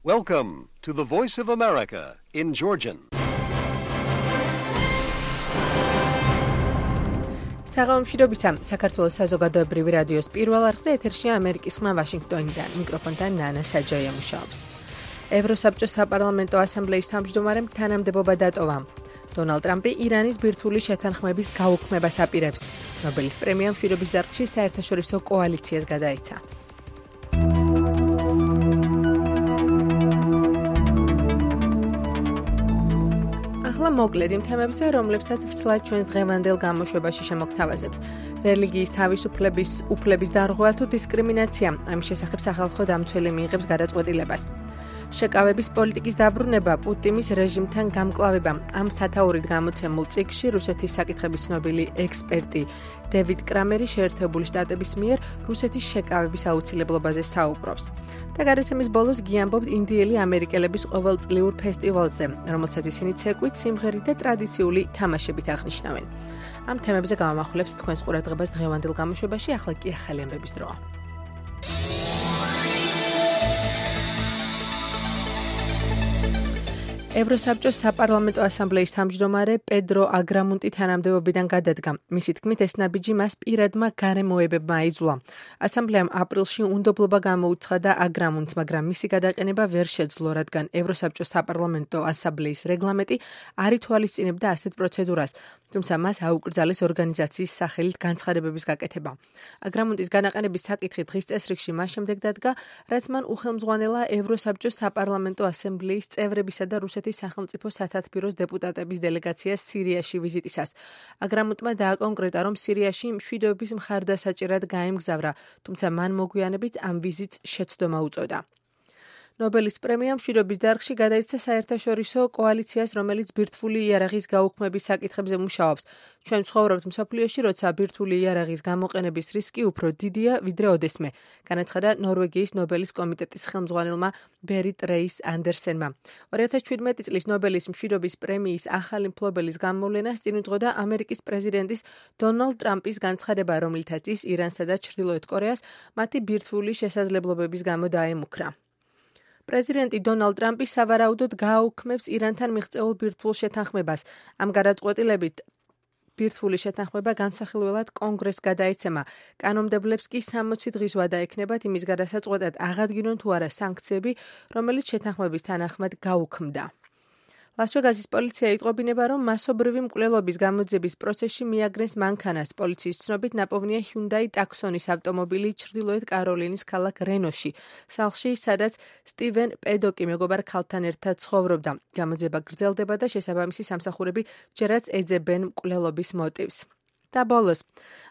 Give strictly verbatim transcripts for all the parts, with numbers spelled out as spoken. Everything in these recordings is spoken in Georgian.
Welcome to the Voice of America in Georgian. საღამომშვიდობისა, საქართველოს საზოგადოებრივი რადიოს პირველ არხზე ეთერშია ამერიკის ხმა ვაშინგტონიდან. მიკროფონთან ნანა საჯაია მუშაობს. ევროსაბჭოს საპარლამენტო ასამბლეის თავმჯდომარემ თანამდებობა დატოვა. დონალდ ტრამპი ირანის ბირთვული შეთანხმების გაუქმებას აპირებს. ნობელის პრემია მშვიდობის დარგში საერთაშორისო კოალიციას გადაეცა. ახლა მოკლედ იმ თემებზე, რომლებსაც ვრცლად ჩვენ დღევანდელ გამოშვებაში შემოგთავაზებთ. რელიგიის თავისუფლების უფლების დარღვევა თუ დისკრიმინაცია, ამის შესახებ სახალხო დამცველი მიიღებს გადაწყვეტილებას. შეკავების პოლიტიკის დაბრუნება, პუტინის რეჟიმთან გამკლავება. ამ სათაურით გამოცემულ წიგნში რუსეთის საკითხების ცნობილი ექსპერტი დევიდ კრამერი შეერთებული შტატების მიერ რუსეთის შეკავების აუცილებლობაზე საუბრობს. და გადაცემის ბოლოს გიამბობთ ინდიელი ამერიკელების ყოველწლიურ ფესტივალზე, რომელსაც ისინი ცეკვით, სიმღერით და ტრადიციული თამაშებით აღნიშნავენ. ამ თემებზე გავამახვილებთ თქვენს ყურადღებას დღევანდელ გამოშვებაში, ახლა კი ახალი ამბების დროა. ევროსაბჭოს საპარლამენტო ასამბლეის თავმჯდომარე პედრო აგრამუნტი თანამდებობიდან გადადგა. მისი თქმით, ეს ნაბიჯი მას პირადმა გარემოებებმა აიძულა. ასამბლეამ აპრილში უნდობლობა გამოუცხადა აგრამუნტს, მაგრამ მისი გადაყენება ვერ შეძლო, რადგან ევროსაბჭოს საპარლამენტო ასამბლეის რეგლამენტი არ ითვალისწინებდა ასეთ პროცედურას, თუმცა მას აუკრძალეს ორგანიზაციის სახელით განცხადებების გაკეთება. აგრამუნტის განაყენების საკითხი დღის წესრიგში მას შემდეგ დადგა, რაც მან უხელმძღვანელა ევროსაბჭოს საპარლამენტო ასამბლეის წევრებისა და რუსეთის სახელმწიფო სათათბიროს დეპუტატების დელეგაციას სირიაში ვიზიტისას. აგრამუნტმა დააკონკრეტა, რომ სირიაში მშვიდობის მხარდასაჭერად გაემგზავრა, თუმცა მან მოგვიანებით ამ ვიზიტს შეცდომა უწოდა. ნობელის პრემია მშვიდობის დარგში გადაეცა საერთაშორისო კოალიციას, რომელიც ბირთვული იარაღის გაუქმების საკითხებზე მუშაობს. ჩვენ ცხოვრობთ მსოფლიოში, როცა ბირთვული იარაღის გამოყენების რისკი უფრო დიდია, ვიდრე ოდესმე, განაცხადა ნორვეგიის ნობელის კომიტეტის ხელმძღვანელმა ბერიტ რეის ანდერსენმა. ორი ათას შვიდმეტი წლის ნობელის მშვიდობის პრემიის ახალი მფლობელის გამოვლენას წინ უძღოდა ამერიკის პრეზიდენტის დონალდ ტრამპის განცხადება, რომლითაც ის ირანსა და ჩრდილოეთ კორეას მათი ბირთვული შესაძლებლობების გამო დაემუქრა. პრეზიდენტი დონალდ ტრამპი სავარაუდოდ გააუქმებს ირანთან მიღწეულ ბირთვულ შეთანხმებას. ამ გადაწყვეტილებით ბირთვული შეთანხმება განსახილველად კონგრესს გადაეცემა. კანონმდებლებს კი სამოცი დღის ვადა ექნებათ იმის გადასაწყვეტად აღადგინონ თუ არა სანქციები, რომელიც შეთანხმების თანახმად გაუქმდა. ლას-ვეგასის პოლიცია იტყობინება, რომ მასობრივი მკვლელობის გამოძიების პროცესში მიაგნეს მანქანას. პოლიციის ცნობით ნაპოვნია ჰიუნდაი ტაქსონის ავტომობილი ჩრდილოეთ კაროლინის ქალაქ რენოში, სახლში, სადაც სტივენ პედოკი მეგობარ ქალთან ერთად ცხოვრობდა. გამოძიება გრძელდება და შესაბამისი სამსახურები ჯერაც ეძებენ მკვლელობის მოტივს. და ბოლოს,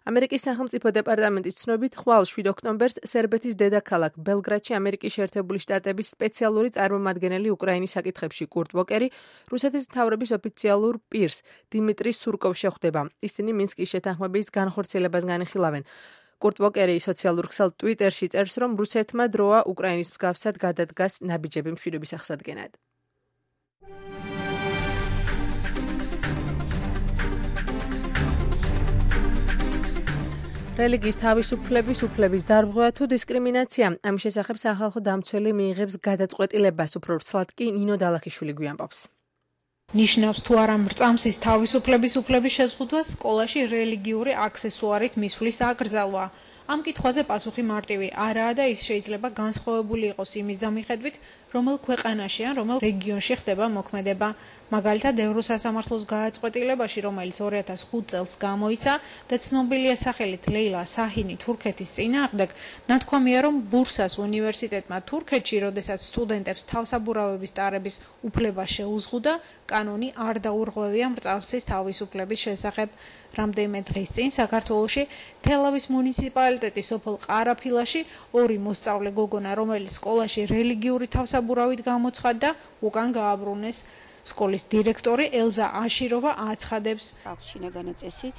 ამერიკის სახელმწიფო დეპარტამენტის ცნობით, ხვალ შვიდ ოქტომბერს სერბეთის დედაქალაქ ბელგრადში ამერიკის შეერთებული შტატების სპეციალური წარმომადგენელი უკრაინის საკითხებში კურტ ვოკერი რუსეთის მთავრობის ოფიციალურ პირს დიმიტრი სურკოვს შეხვდება. ისინი მინსკის შეთანხმების განხორციელებას განიხილავენ. კურტ ვოკერი სოციალურ ქსელ ტვიტერში წერს, რომ რუსეთმა დროა უკრაინის მსგავსად გადადგას ნაბიჯები მშვიდობის აღსადგენად. რელიგიის თავისუფლების უფლების დარღვევა თუ დისკრიმინაცია, ამის შესახებ სახალხო დამცველი მიიღებს გადაწყვეტილებას, უფრო ვრცლად კი ნინო დალაქიშვილი გვიამბობს. ნიშნავს თუ არა მრწამსის თავისუფლების უფლების შეზღუდვა სკოლაში რელიგიური აქსესუარით მისვლის აკრძალვა. ამ კითხვაზე პასუხი მარტივი არაა და ის შეიძლება განსხვავებული იყოს იმის დამიხედვით, რომელ ქვეყანაში ან რომელ რეგიონში ხდება მოქმედება. მაგალითად, ევროსასამართლოს გადაწყვეტილებაში, რომელიც ორი ათას ხუთ წელს გამოიცა და ცნობილია სახელით ლეილა საჰინი თურქეთის წინააღმდეგ, ნათქვამია, რომ ბურსას უნივერსიტეტმა თურქეთში, როდესაც სტუდენტებს თავსაბურავების ტარების უფლება შეუზღუდა, კანონი არ დაურღვევია მრწამსის თავისუფლების შესახებ. რამდენიმე დღის წინ საქართველოში თელავის მუნიციპალიტეტის სოფელ ყარაფილაში ორი მოსწავლე გოგონა, რომელიც სკოლაში რელიგიური თავსაბურავით გამოცხადდა, უკან გააბრუნეს. სკოლის დირექტორი ელზა აშიროვა აცხადებს, აქვს შინაგანი წესი,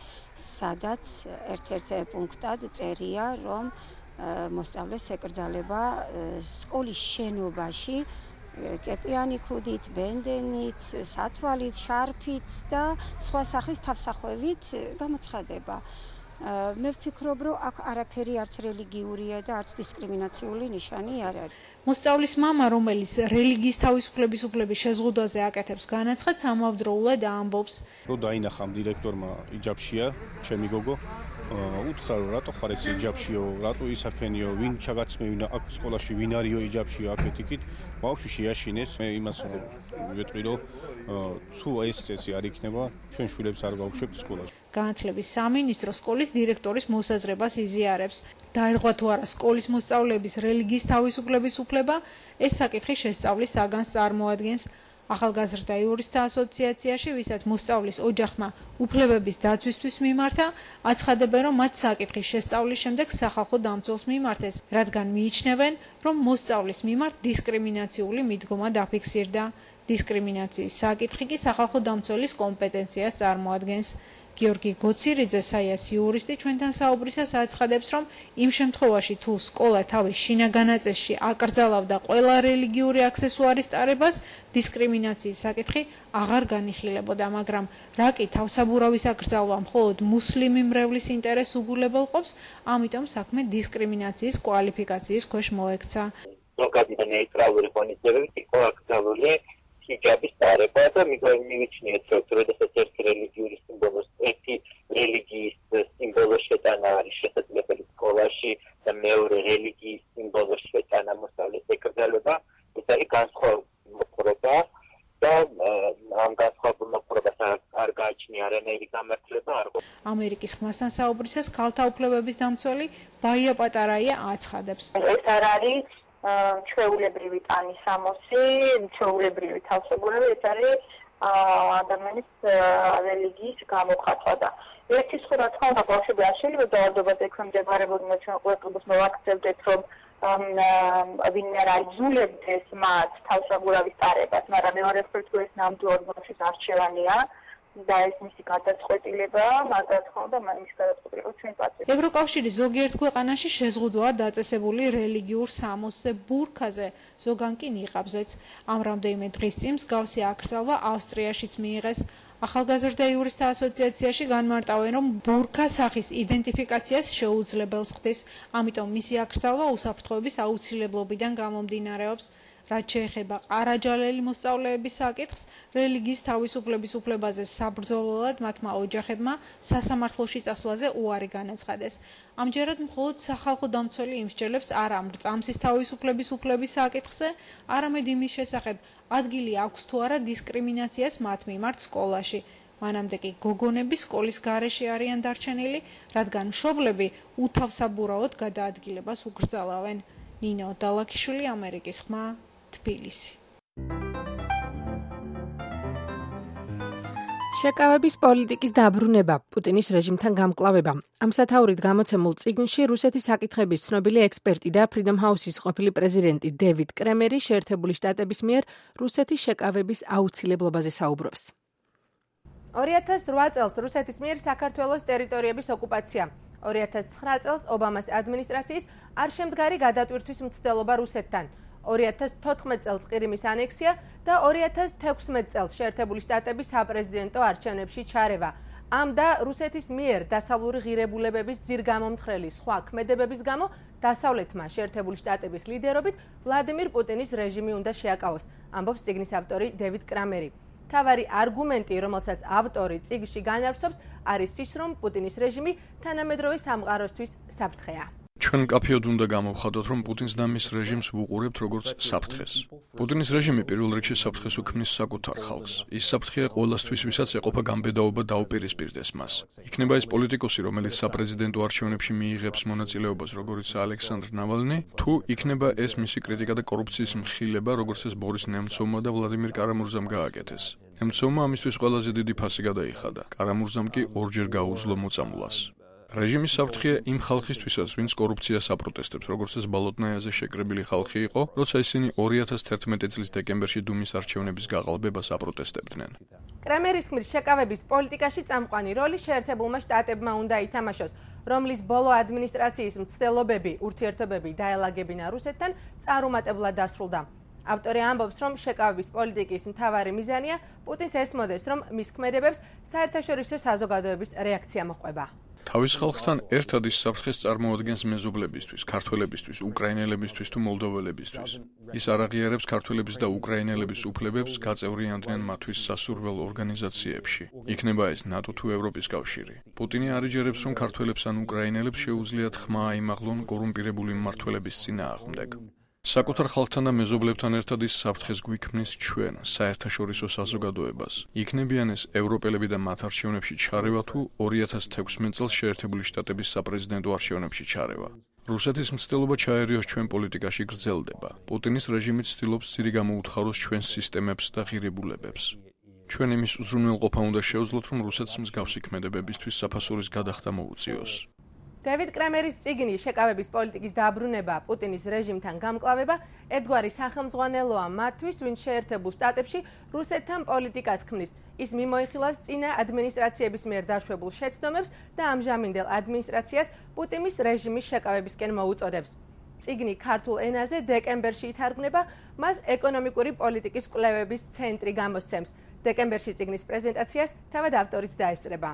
სადაც ერთ-ერთ პუნქტად წერია, რომ მოსწავლეს ეკრძალება სკოლის შენობაში კეპიანი ქუდით, ბენდენით, სათვალით, შარფით და სხვა სახის თავსახვევით გამოცხადება. მე ვფიქრობ, რომ აქ არაფერი არც რელიგიურია და არც დისკრიმინაციული ნიშანი არ არის. მოსწავლის მამა, რომელიც რელიგიის თავისუფლების უფლების შეზღუდვაზე აკეთებს განაცხადს, ამავდროულად ამბობს, რომ დაინახა დირექტორმა იჯაბშია, ჩემი გოგო, უთხრა რომ რატო ხარ ეს იჯაბშიო, რატო ისაქენიო, ვინ ჩაგაცმევინა აქ სკოლაში, ვინ არისო იჯაბშიო აქეთ-იქით, ბავშვი შეაშინეს, მე იმას ვეტყვი რომ თუ ეს წესი არ იქნება, ჩვენ შვილებს არ გავუშვებთ სკოლაში. განათლების სამინისტრო სკოლის დირექტორის მოსაზრებას იზიარებს. დაერღვა თუ არა სკოლის მოსწავლეების რელიგიის თავისუფლების უფლება, ეს საკითხი შესწავლის საგანს წარმოადგენს. ახალგაზრდა იურისტთა ასოციაციაში, ვისაც მოსწავლის ოჯახმა უფლებების დაცვისთვის მიმართა, აცხადებენ, რომ მათ საკითხის შესწავლის შემდეგ სახალხო დამცველს მიმართეს, რადგან მიიჩნევენ, რომ მოსწავლის მიმართ დისკრიმინაციული მიდგომა დაფიქსირდა. დისკრიმინაციის საკითხი კი სახალხო დამცველის კომპეტენციას წარმოადგენს. გიორგი გოცირიძე, საიას იურისტი, ჩვენთან საუბრისას აცხადებს, რომ იმ შემთხვევაში, თუ სკოლა თავის შინაგან აწესში აკრძალავდა ყველა რელიგიური აქსესუარის ტარებას, დისკრიმინაციის საკითხი აღარ განიხილებოდა, მაგრამ რა კი თავსაბურავის აკრძალვა მხოლოდ მუსლიმი მრევლის ინტერესს უგულებელყოფს, ამიტომ საქმე დისკრიმინაციის კვალიფიკაციის ქვეშ მოექცა. ზოგადი და ნეიტრალური ღონისძიებებით იყო აკრძალული ჰიჯაბის ტარება და მივიჩნიეთ, რომ როდესაც ერთი რელიგიური სიმბოლოს, ერთი რელიგიის სიმბოლოს შეტანა არის შესაძლებელი სკოლაში და მეორე რელიგიის სიმბოლოს შეტანა მოსწავლის ეკრძალება, ეს არის განსხვავებული მოყრობა და ამ განსხვავებულ მოყრობას არ გააჩნია არანაირი გამართლება არ ყოფილა. ამერიკის ხმასთან საუბრისას ქალთა უფლებების დამცველი ბაია პატარაია აცხადებს. ეს არ არის ჩვეულებრივი ტანის სამოსი, ჩვეულებრივი თავსებურება, ეს არის ადამიანის რელიგიის გამოხატვა და ერთი სხვა რა თქმა უნდა ბავშვები არ შეიძლება დაავადებაზე ექვემდებარებოდნენ, ჩვენ ყოველთვის მოვაქცევდეთ, რომ ვინმე არ აიძულებდეს მათ თავსებურავის ტარებას, მაგრამ მეორე მხრივ თუ ეს ნამდვილად ბავშვის არჩევანია და ეს მისი გადაწყვეტილება, მაგრამ თქმა უნდა მის გადაწყვეტილებას ჩვენ პატივს. ევროკავშირის ზოგიერთ ქვეყანაში შეზღუდვაა დაწესებული რელიგიურ სამოსზე, ბურქაზე, ზოგან კი ნიყაბზეც. ამ რამდენიმე დღის წინ მსგავსი აკრძალვა ავსტრიაშიც მიიღეს. ახალგაზრდა იურისტთა ასოციაციაში განმარტავენ, რომ ბურქა სახის იდენტიფიკაციას შეუძლებელს ხდის, ამიტომ მისი აკრძალვა უსაფრთხოების აუცილებლობიდან გამომდინარეობს. რაც შეეხება ყარაჯალელი მოსწავლეების საკითხს, რელიგიის თავისუფლების უფლებაზე საბრძოლველად მათმა ოჯახებმა სასამართლოში წასვლაზე უარი განაცხადეს. ამჯერად მხოლოდ სახალხო დამცველი იმსჯელებს არა მრწამსის თავისუფლების უფლების საკითხზე, არამედ იმის შესახებ, ადგილი აქვს თუ არა დისკრიმინაციას მათ მიმართ სკოლაში. მანამდე კი გოგონები სკოლის გარეშე არიან დარჩენილი, რადგან მშობლები უთავსაბურავად გადაადგილებას უგრძალავენ. ნინო დალაქიშვილი, ამერიკის ხმა, თბილისი. შეკავების პოლიტიკის დაბრუნება, პუტინის რეჟიმთან გამკლავება. ამ სათაურით გამოცემულ წიგნში რუსეთის საკითხების ცნობილი ექსპერტი და Freedom House-ის ყოფილი პრეზიდენტი დევიდ კრემერი შეერთებული შტატების მიერ რუსეთის შეკავების აუცილებლობაზე საუბრობს. ორი ათას რვა წელს რუსეთის მიერ საქართველოს ტერიტორიების ოკუპაცია. ორი ათას ცხრა წელს ობამას ადმინისტრაციის არ შემდგარი გადატვირთვის მცდელობა რუსეთთან. ორი ათას თოთხმეტ წელს ყირიმის ანექსია და ორი ათას თექვსმეტ წელს შეერთებული შტატების საპრეზიდენტო არჩევნებში ჩარევა. ამ და რუსეთის მიერ დასავლური ღირებულებების ძირგამომთხრელი სხვა ქმედებების გამო დასავლეთმა შეერთებული შტატების ლიდერობით ვლადიმირ პუტინის რეჟიმი უნდა შეაკავოს, ამბობს წიგნის ავტორი დევიდ კრამერი. თავარი არგუმენტი, რომელსაც ავტორი წიგნში განავრცობს, არის ის, რომ პუტინის რეჟიმი თანამედროვე სამყაროსთვის საფრთხეა. ჩვენ მკაფიოდ უნდა გამოვხატოთ, რომ პუტინს და მის რეჟიმს ვუყურებთ როგორც საფრთხეს. პუტინის რეჟიმი პირველ რიგში საფრთხეს უქმნის საკუთარ ხალხს. ის საფრთხეა ყველასთვის, ვისაც ეყოფა გამბედაობა დაუპირისპირდეს მას. იქნება ეს პოლიტიკოსი, რომელიც საპრეზიდენტო არჩევნებში მიიღებს მონაწილეობას, როგორიც ალექსანდრ ნავალნი, თუ იქნება ეს მისი კრიტიკა და კორუფციის მხილება, როგორც ეს ბორის ნემცოვმა და ვლადიმირ კარამურზამ გააკეთეს. ნემცოვმა ამისთვის ყველაზე დიდი ფასი გადაიხადა. კარამურზამ კი ორჯერ გაუძლო მოწამვლას. რეჟიმის საფრთხეა იმ ხალხისთვისაც, ვინც კორუფციას აპროტესტებს, როგორც ეს ბალოტნაიაზე შეკრებილი ხალხი იყო, როცა ისინი ორი ათას თერთმეტი წლის დეკემბერში დუმის არჩევნების გაყალბებას აპროტესტებდნენ. კრემერის თქმით, შეკავების პოლიტიკაში წამყვანი როლი შეერთებულმა შტატებმა უნდა ითამაშოს, რომლის ბოლო ადმინისტრაციის მცდელობები, ურთიერთობები დაელაგებინა რუსეთთან, წარუმატებლად დასრულდა. ავტორი ამბობს, რომ შეკავების პოლიტიკის მთავარი მიზანია პუტინს ესმოდეს, რომ მის ქმედებებს საერთაშორისო საზოგადოების რეაქცია მოჰყვება. თავის ხალხთან ერთად ის საფრთხეს წარმოადგენს მეზობლებისთვის, ქართველებისთვის, უკრაინელებისთვის თუ მოლდოველებისთვის. ის არ აღიარებს ქართველების და უკრაინელების უფლებებს, გაწევრიანდნენ მათთვის სასურველ ორგანიზაციებში. იქნება ეს ნატო თუ ევროპის კავშირი. პუტინი არ იჯერებს, რომ ქართველებს ან უკრაინელებს შეუძლიათ ხმა აიმაღლონ კორუმპირებული მმართველების წინააღმდეგ. საკუთარ ხალხთან და მეზობლებთან ერთად ის საფრთხეს გვიქმნის ჩვენ, საერთაშორისო საზოგადოებას. იქნებიან ეს ევროპელები და მათ არჩევნებში ჩარევა თუ ორი ათას თექვსმეტ წელს შეერთებული შტატების საპრეზიდენტო არჩევნებში ჩარევა. რუსეთის მცდელობა ჩაერიოს ჩვენ პოლიტიკაში გრძელდება. პუტინის რეჟიმი ცდილობს ცირი გამოუთხაროს ჩვენს სისტემებს და ღირებულებებს. ჩვენ იმის უზრუნველყოფა უნდა შევძლოთ, რომ რუსეთს მსგავსი ქმედებებისთვის საფასურის გადახდა მოუწიოს. დევიდ კრემერის წიგნი შეკავების პოლიტიკის დაბრუნება პუტინის რეჟიმთან გამკლავება ერთგვარი სახელმძღვანელოა მათთვის, ვინც შეერთებულ შტატებში რუსეთთან პოლიტიკას ქმნის. ის მიმოიხილავს წინა ადმინისტრაციების მიერ დაშვებულ შეცდომებს და ამჟამინდელ ადმინისტრაციას პუტინის რეჟიმის შეკავებისკენ მოუწოდებს. წიგნი ქართულ ენაზე დეკემბერში ითარგმნება, მას ეკონომიკური პოლიტიკის კვლევების ცენტრი გამოსცემს. დეკემბერში წიგნის პრეზენტაციას თავად ავტორიც დაესწრება.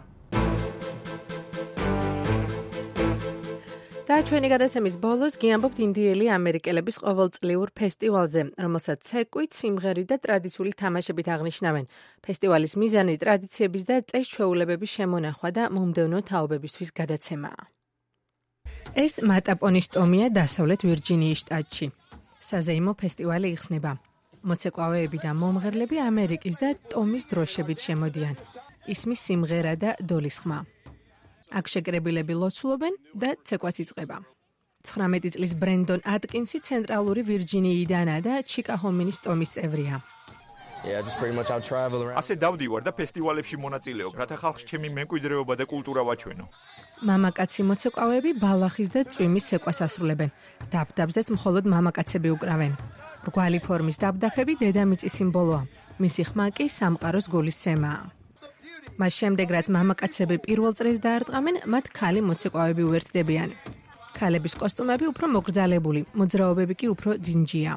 და ჩვენი გადაცემის ბოლოს გიამბობთ ინდიელი ამერიკელების ყოველწლიურ ფესტივალზე, რომელსაც ცეკვით, სიმღერით და ტრადიციული თამაშებით აღნიშნავენ. ფესტივალის მიზანი ტრადიციების და წეს-ჩვეულებების შემონახვა და მომდევნო თაობებისთვის გადაცემაა. ეს მატაპონის ტომია დასავლეთ ვირჯინიის შტატში. საზეიმო ფესტივალი იხსნება. მოცეკვავეები და მომღერლები ამერიკის და ტომის დროშებით შემოდიან. ისმის სიმღერა და დოლის ხმა. აქ შეკრებილები ლოცულობენ და ცეკვაც იწყება. ცხრამეტი წლის ბრენდონ ატკინსი ცენტრალური ვირჯინიიდანაა და ჩიკაჰომინის ტომის წევრია. ასე დავდივარ და ფესტივალებში მონაწილეობ, რათა ხალხს ჩემი მემკვიდრეობა და კულტურა ვაჩვენო. მამაკაცი მოცეკვავეები ბალახის და წვიმის ცეკვას ასრულებენ. დაბდაბზეც მხოლოდ მამაკაცები უკრავენ. რგვალი ფორმის დაბდაფები დედამიწის სიმბოლოა. მისი ხმა კი სამყაროს გულისცემაა. მას შემდეგ, რაც მამაკაცები პირველ წრეს დაარტყამენ, მათ ქალი მოცეკვავეები უერთდებიან. ქალების კოსტუმები უფრო მოგრძალებული, მოძრაობები კი უფრო დინჯია.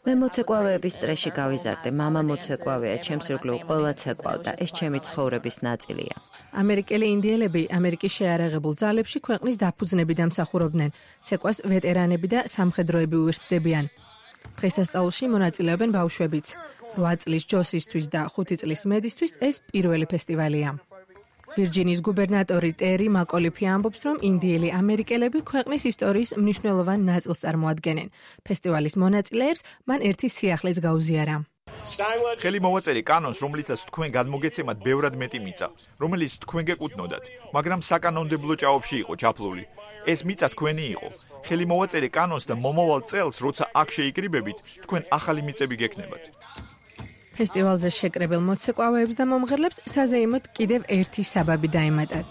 მე მოცეკვავეების წრეში გავიზარდე, მამა მოცეკვავეა, ჩემს ირგვლივ ყველა ცეკვავ და ეს ჩემი ცხოვრების ნაწილია. ამერიკელი ინდიელები ამერიკის შეიარაღებულ ძალებში ქვეყნის დაფუძნები დამსახურობდნენ. ცეკვას ვეტერანები და სამხედროები უერთდებიან. დღესასწაულში მონაწილეობენ ბავშვებიც. რვა წლის ჯოსისთვის და ხუთი წლის მედისთვის ეს პირველი ფესტივალია. ვირჯინიის გუბერნატორი ტერი მაკოლიფი ამბობს, რომ ინდიელი ამერიკელები ქვეყნის ისტორიის მნიშვნელოვან ნაწილს წარმოადგენენ. ფესტივალის მონაწილეებს მან ერთი სიახლეც გაუზიარა. ხელი მოვაწერი კანონს, რომლითაც თქვენ გადმოგეცემათ ბევრად მეტი მიწა, რომელიც თქვენ გეკუთვნოდათ, მაგრამ საკანონმდებლო ჭაობში იყო ჩაფლული. ეს მიწა თქვენი იყო. ხელი მოვაწერი კანონს და მომავალ წელს, როცა აქ შეიკრიბებით, თქვენ ახალი მიწები გექნებათ. ფესტივალზე შეკრებილ მოცეკვავეებს და მომღერლებს საზეიმოდ კიდევ ერთი საბაბი დაემატათ.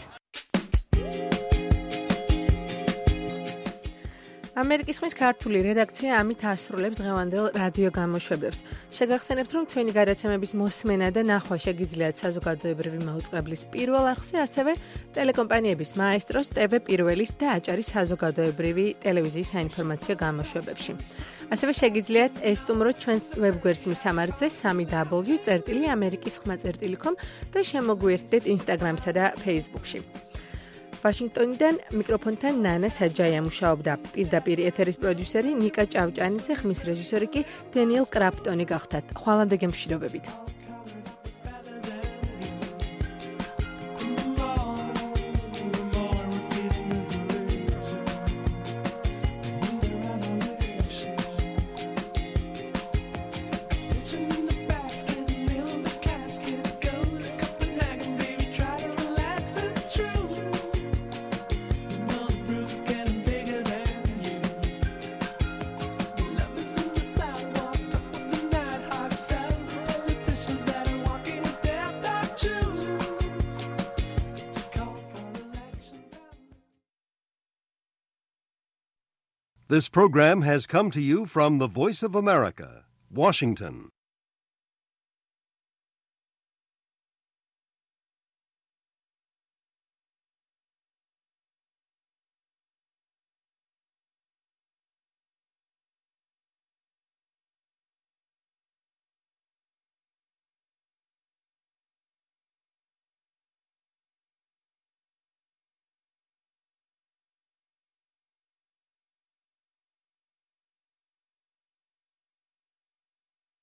ამერიკის ხმის ქართული რედაქცია ამით ასრულებს დღევანდელ რადიო გამოშვებებს. შეგახსენებთ, რომ ჩვენი გადაცემების მოსმენა და ნახვა შეგიძლიათ საზოგადოებრივი მაუწყებლის პირველ არხზე, ასევე ტელეკომპანიების მაესტროს, ტევ პირველის და აჭარის საზოგადოებრივი ტელევიზიის საინფორმაციო გამოშვებებში. ასევე შეგიძლიათ ესტუმროთ ჩვენს ვებგვერდს მისამართზე სამი დაბლიუ წერტილი ამერიკის ხმა წერტილი კომ და შემოგვიერთდეთ ინსტაგრამსა და ფეისბუქში. ვაშინგტონიდან მიკროფონთან ნანა საჯაია მუშაობდა. პირდაპირ ეთერის პროდიუსერი ნიკა ჭავჭანიძე, ხმის რეჟისორი კი დენიელ კრაპტონი გახდათ. ხვალამდე გემშვიდობებით. This program has come to you from the Voice of America, Washington.